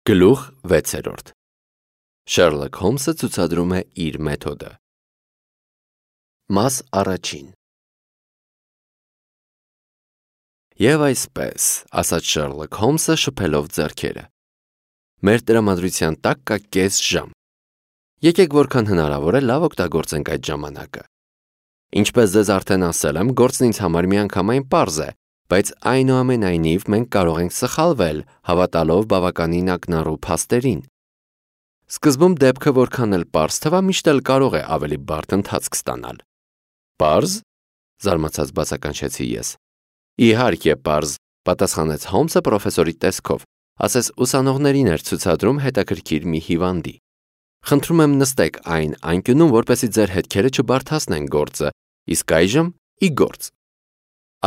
Գլուխ 6. Շերլոք Հոլմսը ցուցադրում է իր մեթոդը։ Մաս առաջին։ Եվ այսպես, ասաց Շերլոք Հոլմսը շփելով ձեռքերը։ Մեր տրամադրության տակ կա կես ժամ։ Եկեք որքան հնարավոր է լավ օգտագործենք այդ ժամանակը։ Ինչպես ձեզ արդեն ասել եմ, գործն ինձ համար միանգամայն պարզ է, բայց այնուամենայնիվ մենք կարող ենք սխալվել, հավատալով բավականին ակնառու փաստերին։ Սկզբում դեպքը որքան էլ պարզ թվա, միշտ էլ կարող է ավելի բարդ ընթացք ստանալ։ Պարզ, զարմացած բացականչեցի ես։ Իհարկե պարզ, պատասխանեց Հոլմսը պրոֆեսորի տեսքով, ասես ուսանողներին էր ցուցադրում հետաքրքիր մի հիվանդի։ Խնդրում եմ նստեք այն անկյունում, որպեսզի ձեր հետքերը չբարդացնեն գործը, իսկ այժմ ի գործ։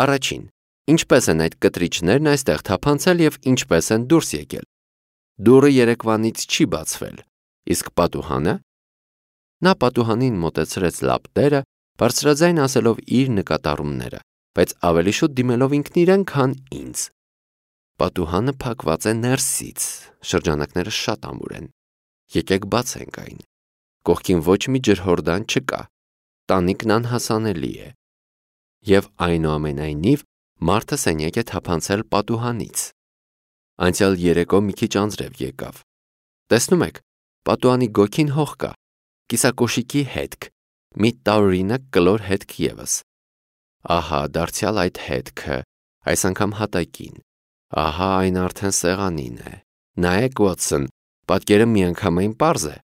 Առաջին, ինչպես են այդ կտրիչներն այստեղ թափանցել եւ ինչպես են դուրս եկել։ Դուռը երեկվանից չի բացվել, իսկ պատուհանը։ Նա պատուհանին մոտեցրեց լապտերը, բարձրաձայն ասելով իր նկատառումները, բայց ավելի շուտ դիմելով ինքն իրեն, քան ինձ։ Պատուհանը փակված է ներսից, շրջանակները շատ ամուր են։ Եկեք բացենք այն։ Կողքին ոչ մի ջրհորդան չկա, տանիքն անհասանելի է։ Եվ այնուամենայնիվ մարդը սենյակ է թափանցել պատուհանից։ Անցյալ երեկո մի քիչ անձրև եկավ։ Տեսնում եք, պատուհանի գոգին հող կա, կիսակոշիկի հետք, մի տարօրինակ կլոր հետք ևս։ Ահա դարձյալ այդ հետքը, այս անգամ հատակին։ Ահա այն արդեն սեղանին է։ Նայեք, Ուոտսոն, պատկերը միանգամայն պարզ է։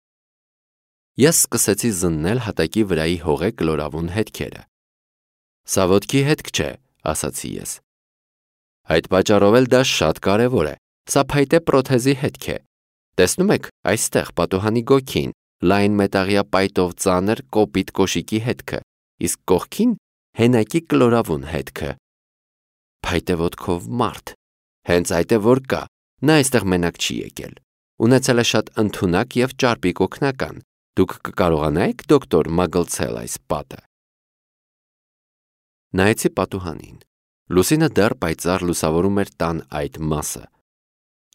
Ես սկսեցի զննել հատակի վրայի հողե կլորավուն հետքերը։ Սա ոտքի հետք չէ, ասացի ես։ Այդ պատճառով էլ դա շատ կարևոր է։ Սա փայտե պրոթեզի հետք է։ Տեսնում եք, այստեղ պատուհանի գոգին լայն մետաղյա պայտով ծանր կոպիտ կոշիկի հետքը, իսկ կողքին հենակի կլորավուն հետքը։ Փայտե ոտքով մարդ։ Հենց այդ է որ կա։ Նա այստեղ մենակ չի եկել։ Ունեցել է շատ ընդունակ եւ ճարպիկ օգնական։ Դուք կկարողանայիք, դոկտոր, մագլցել այս պատը։ Նայեցի պատուհանին։ Լուսինը դեռ պայծառ լուսավորում էր տան այդ մասը։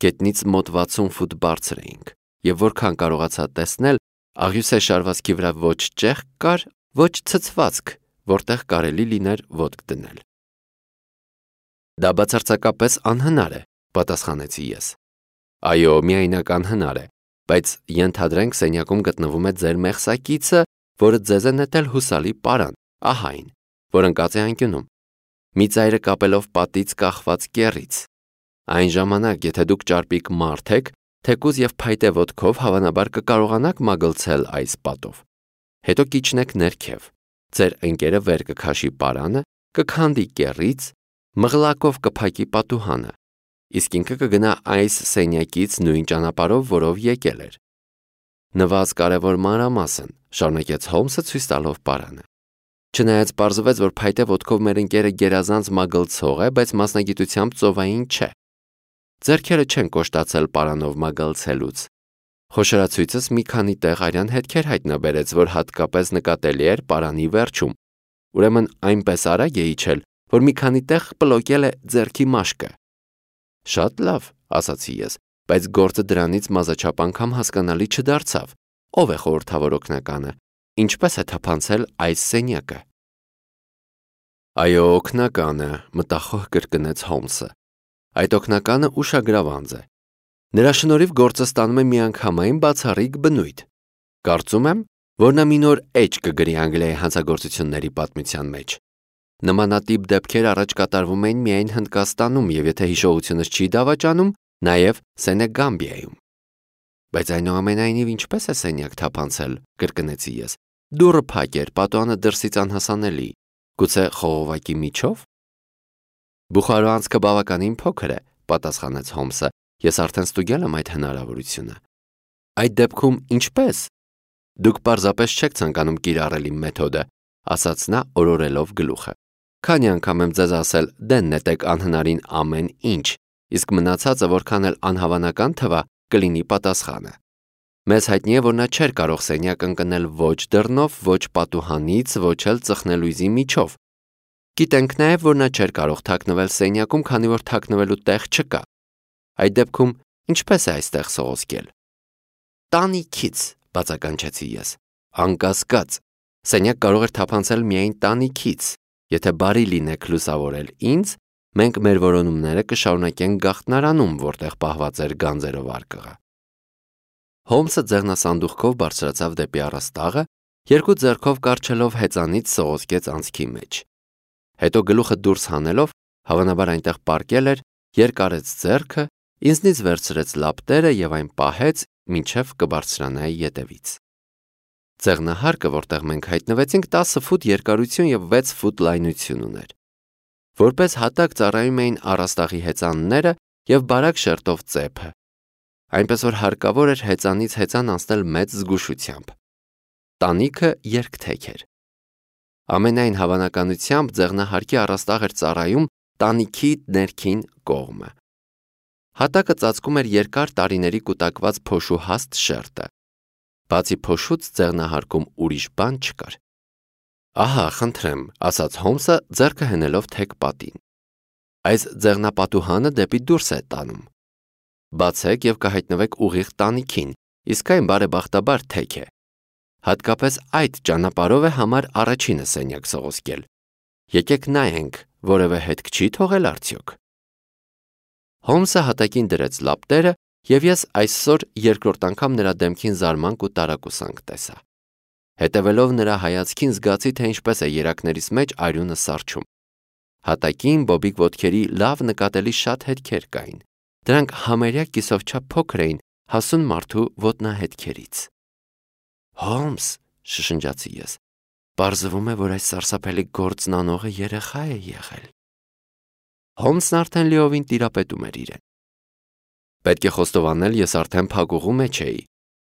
Գետնից մոտ 60 ֆուտ բարձր էինք, եւ որքան կարողացա տեսնել, աղյուսե շարվածքի վրա ոչ ճեղք կար, ոչ ցցվածք, որտեղ կարելի լիներ ոտք դնել։ Դա բացարձակապես անհնար է, պատասխանեցի ես։ Այո, միայնակ անհնար է, բայց ենթադրենք սենյակում գտնվում է ձեր մեղսակիցը, որը ձեզ է նետել հուսալի պարան, ահա այն, որ ընկած է անկյունում։ Մի ծայրը կապելով պատից կախված կեռից։ Այն ժամանակ, եթե դուք ճարպիկ մարդ եք, թեկուզ եւ փայտե ոտքով հավանաբար կկարողանաք մագլցել այս պատով։ Հետո կիջնեք ներքև։ Ձեր ընկերը վեր կքաշի պարանը, կքանդի կեռից, մղլակով կփակի պատուհանը, իսկ ինքը կգնա այս սենյակից նույն ճանապարհով, որով եկել էր։ Նվազ կարևոր մանրամասն, շարունակեց Հոլմսը ցույց տալով պարանը։ Չնայած պարզվեց, որ փայտե ոտքով մեր ընկերը գերազանց մագլցող է, բայց մասնագիտությամբ ծովային չէ։ Ձեռքերը չեն կոշտացել պարանով մագլցելուց։ Խոշորացույցս մի քանի տեղ արյան հետքեր հայտնաբերեց, որ հատկապես նկատելի էր պարանի վերջում։ Ուրեմն այնպես արագ է իջել, որ մի քանի տեղ պլոկել է ձեռքի մաշկը։ Շատ լավ, ասացի ես, բայց գործը դրանից մազաչափ անգամ հասկանալի չդարձավ։ Ով է խորհրդավոր օգնականը։ Ինչպես է թափանցել այս սենյակը։ Այո, օգնականը, մտախոհ կրկնեց Հոլմսը։ Այդ օգնականը ուշագրավանձ է։ Նրա շնորհիվ գործը ստանում է միանգամայն բացառիկ բնույթ։ Կարծում եմ, որ նա մի նոր էջ կգրի Անգլիայի հանցագործությունների պատմության մեջ։ Նմանատիպ դեպքեր առաջ կատարվում էին միայն Հնդկաստանում եւ եթե հիշողությունս չի դավաճանում, նաեւ Սենեգամբիայում։ Բայց այնուամենայնիվ ինչպես է սենյակ թափանցել, կրկնեցի ես։ Դուռը փակ էր, պատուհանը դրսից անհասանելի։ Գուցե խողովակի միջով։ Բուխարո անցքը բավականին փոքր է, պատասխանեց Հոլմսը։ Ես արդեն ստուգել եմ այդ հնարավորությունը։ Այդ դեպքում ինչպես։ Դուք պարզապես չեք ցանկանում կիրառել իմ մեթոդը, ասաց նա օրորելով գլուխը։ Քանի անգամ եմ ձեզ ասել, դեն նետեք անհնարին ամեն ինչ, իսկ մնացածը որքան էլ անհավանական թվա, կլինի պատասխանը։ Մեզ հայտնի է, որ նա չէր կարող սենյակ ընկնել ոչ դռնով, ոչ պատուհանից, ոչ էլ ծխնելույզի միջով։ Գիտենք նաև, որ նա չէր կարող թաքնվել սենյակում, քանի որ թաքնվելու տեղ չկա։ Այդ դեպքում Ինչպես է այստեղ սողոսկել։ Տանիքից, բացականչեցի ես։ Անկասկած, սենյակ կարող էր թափանցել միայն տանիքից։ Եթե բարի լինեք լուսավորել ինձ, մենք մեր որոնումները կշարունակենք գաղտնարանում, որտեղ պահված էր գանձերով արկղը։ Հոլմսը ձեռնասանդուղքով բարձրացավ դեպի առաստաղը, երկու ձեռքով կառչելով հեծանից սողոսկեց անցքի մեջ։ Հետո գլուխը դուրս հանելով, հավանաբար այնտեղ պառկել էր, երկարեց ձեռքը, ինձնից վերցրեց լապտերը եւ այն պահեց, մինչև կբարձրանայի ետևից։ Ձեղնահարկը, որտեղ մենք հայտնվեցինք, 10 ֆուտ երկարություն եւ 6 ֆուտ լայնություն ուներ։ Որպես հատակ ծառայում էին առաստաղի հեծանները եւ բարակ շերտով ծեփը, այնպես որ հարկավոր էր հեծանից հեծան անցնել մեծ զգուշությամբ։ Տանիքը երկթեք էր։ Ամենայն հավանականությամբ ձեղնահարկի առաստաղ էր ծառայում տանիքի ներքին կողմը։ Հատակը ծածկում էր երկար տարիների կուտակված փոշու հաստ շերտը։ Բացի փոշուց ձեղնահարկում ուրիշ բան չկար։ Ահա, խնդրեմ, ասաց Հոլմսը ձեռքը հենելով թեք պատին։ Այս ձեղնապատուհանը դեպի դուրս է տանում։ Բացեք եւ կհայտնվեք ուղիղ տանիքին, իսկ այն բարեբախտաբար թեք է։ Հատկապես այդ ճանապարհով է համար առաջինը սենյակ սողոսկել։ Եկեք նայենք, որևէ հետք չի թողել արդյոք։ Հոլմսը հատակին դրեց լապտերը եւ ես այսօր երկրորդ անգամ նրա դեմքին զարմանք ու տարակուսանք տեսա։ Հետևելով նրա հայացքին զգացի, թե ինչպես է երակներիս մեջ արյունը սառչում։ Հատակին բոբիկ ոտքերի լավ նկատելի շատ հետքեր կային։ Դրանք համարյա կիսովչափ փոքր էին հասուն մարդու ոտնահետքերից։ Հոլմս, շշնջացի ես, պարզվում է, որ այս սարսափելի գործն անողը երեխա է եղել։ Հոլմսն արդեն լիովին տիրապետում էր իրեն։ Պետք է խոստովանել, ես արդեն փակուղու մեջ էի։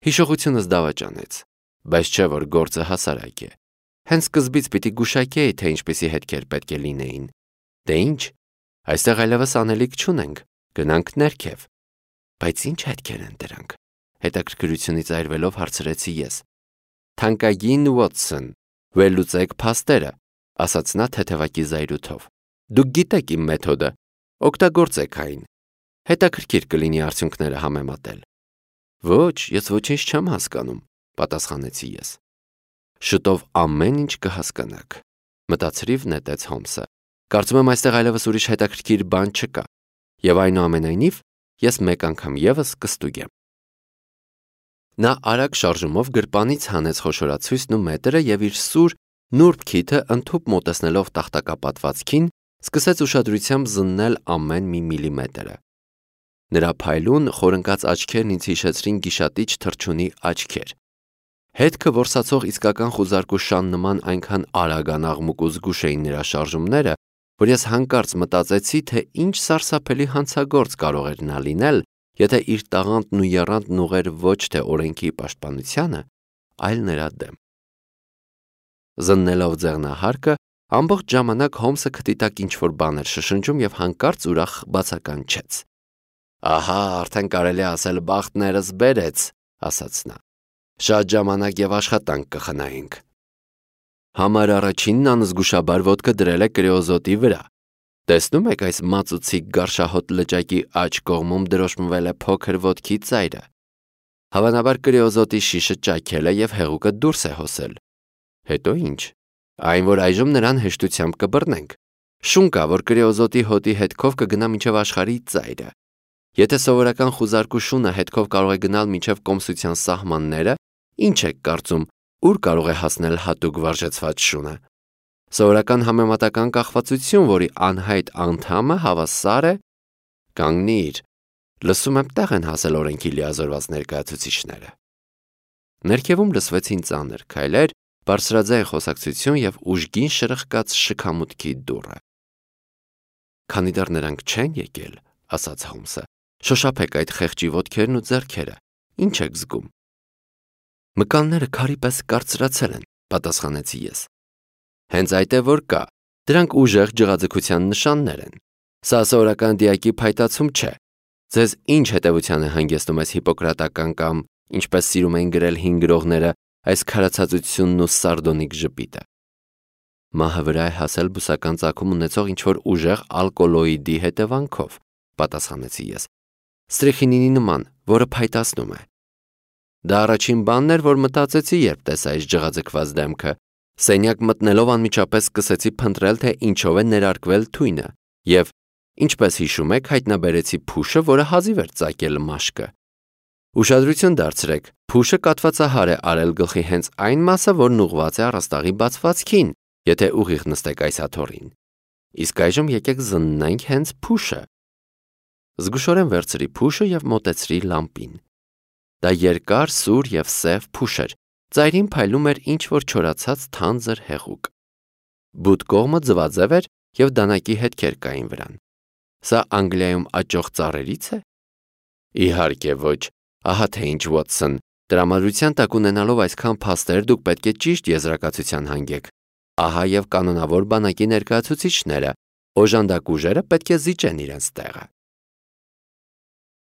Հիշողությունս դավաճանեց, բայց չէ որ գործը հասարակ է։ Հենց սկզբից պիտի գուշակեի, թե ինչպիսի հետքեր պետք է լինեին։ Դե ինչ, այստեղ այլևս անելիք չունենք, գնանք ներքև։ Բայց ինչ հետքեր են դրանք։ Հետաքրքրությունից այրվելով հարցրեցի ես։ Թանկագին Ուոթսոն, վերլուծեք փաստերը, ասաց նա թեթևակի զայրույթով։ Դուք գիտեք իմ մեթոդը, օգտագործեք այն։ Հետաքրքիր կլինի արդյունքները համեմատել։ Ոչ, ես ոչինչ չեմ հասկանում, պատասխանեցի ես։ Շուտով ամեն ինչ կհասկանաք, մտածրիվ նետեց Հոլմսը։ Կարծում եմ այստեղ այլևս ուրիշ հետաքրքիր բան չկա, եւ այնուամենայնիվ ես մեկ անգամ եւս կստուգեմ։ Նա արագ շարժումով գրպանից հանեց խոշորացույցն ու մետրը եւ իր սուր, նուրբ քիթը ընդհուպ մոտեցնելով տախտակապատվածքին, սկսեց ուշադրությամբ զննել ամեն մի միլիմետրը։ Նրա փայլուն, խորընկած աչքերն ինձ հիշեցրին գիշատիչ թռչունի աչքեր։ Հետքը որսացող իսկական խուզարկուշան նման այնքան արագ անաղմուկ ու զգուշ էին նրա շարժումները, որ ես հանկարծ մտածեցի, թե ինչ սարսափելի հանցագործ կարող էր նա լինել, եթե իր տաղանդն ու եռանդն ուղեր ոչ թե օրենքի պաշտպանությանը, այլ նրա դեմ։ Զննելով ձեղնահարկը, ամբողջ ժամանակ Հոլմսը քթի տակ ինչ-որ բան էր շշնջում եւ հանկարծ ուրախ բացականչեց։ Ահա, արդեն կարելի է ասել բախտներս բերեց, ասաց նա։ Շատ ժամանակ եւ աշխատանք կխնայենք։ Համար առաջինն անզգուշաբար ոտքը դրել է կրեոզոտի վրա։ Տեսնում եք այս մածուցիկ գարշահոտ լճակի աջ կողմում դրոշմվել է փոքր ոտքի ծայրը։ Հավանաբար կրեոզոտի շիշը ճաքել է եւ հեղուկը դուրս է հոսել։ Հետո ինչ։ Այն որ այժմ նրան հեշտությամբ կբռնենք։ Շուն կա, որ կրեոզոտի հոտի հետքով կգնա մինչև աշխարհի ծայրը։ Եթե սովորական խուզարկու շունը հետքով կարող է գնալ մինչև կոմսության սահմանները, ինչ եք կարծում, ուր կարող է հասնել հատուկ վարժեցված շունը։ Սովորական համեմատական կախվածություն, որի անհայտ անդամը հավասար է կանգնիր, լսում եմ տեղ են հասել օրենքի լիազորված ներկայացուցիչները։ Ներքևում լսվեցին ծանր քայլեր, բարձրաձայն խոսակցություն եւ ուժգին շրխկաց շքամուտքի դուռը։ Քանի դեռ նրանք չեն եկել, ասաց Հոլմսը, շոշափեք այդ խեղճի ոտքերն ու ձեռքերը, ինչ եք զգում։ Մկանները քարի պես կարծրացել են, պատասխանեցի ես։ Հենց այդ է որ կա, դրանք ուժեղ ջղաձգության նշաններ են։ Սա սովորական դիակի փայտացում չէ։ Ձեզ ինչ հետևության է հանգեցնում այս հիպոկրատական կամ, ինչպես սիրում են գրել հին գրողները, այս քարացածությունն ու սարդոնիկ ժպիտը։ Մահը վրա է հասել բուսական ծագում ունեցող ինչ-որ ուժեղ ալկոլոիդի հետևանքով, պատասխանեցի ես։ ստրիխինինի նման, որը փայտացնում է։ Դա առաջին բանն էր, որ մտածեցի, երբ տեսա այս ջղաձգված դեմքը։ Սենյակ մտնելով անմիջապես սկսեցի փնտրել, թե ինչով է ներարկվել թույնը, եւ, ինչպես հիշում եք, հայտնաբերեցի փուշը, որը հազիվ էր ծակել մաշկը։ Ուշադրություն դարձրեք, փուշը կատվածահար է արել գլխի հենց այն մասը, որն ուղղված է առաստաղի բացվածքին, եթե ուղիղ նստեք այս աթոռին։ Իսկ այժմ եկեք զննենք հենց փուշը։ Զգուշորեն վերցրի փուշը եւ մոտեցրի լամպին։ Դա երկար, սուր եւ սև փուշ էր, ծայրին փայլում էր ինչ-որ չորացած թանձր հեղուկ։ Բութ կողմը ձվաձև էր եւ դանակի հետքեր կային վրան։ Սա Անգլիայում աճող ծառերից է։ Իհարկե ոչ, ահա թե ինչ, Վոթսոն, տրամադրության տակ ունենալով այսքան փաստեր, դուք պետք է ճիշտ եզրակացության հանգեք։ Ահա եւ կանոնավոր բանակի ներկայացուցիչները, օժանդակ ուժերը պետք է զիջեն իրենց տեղը։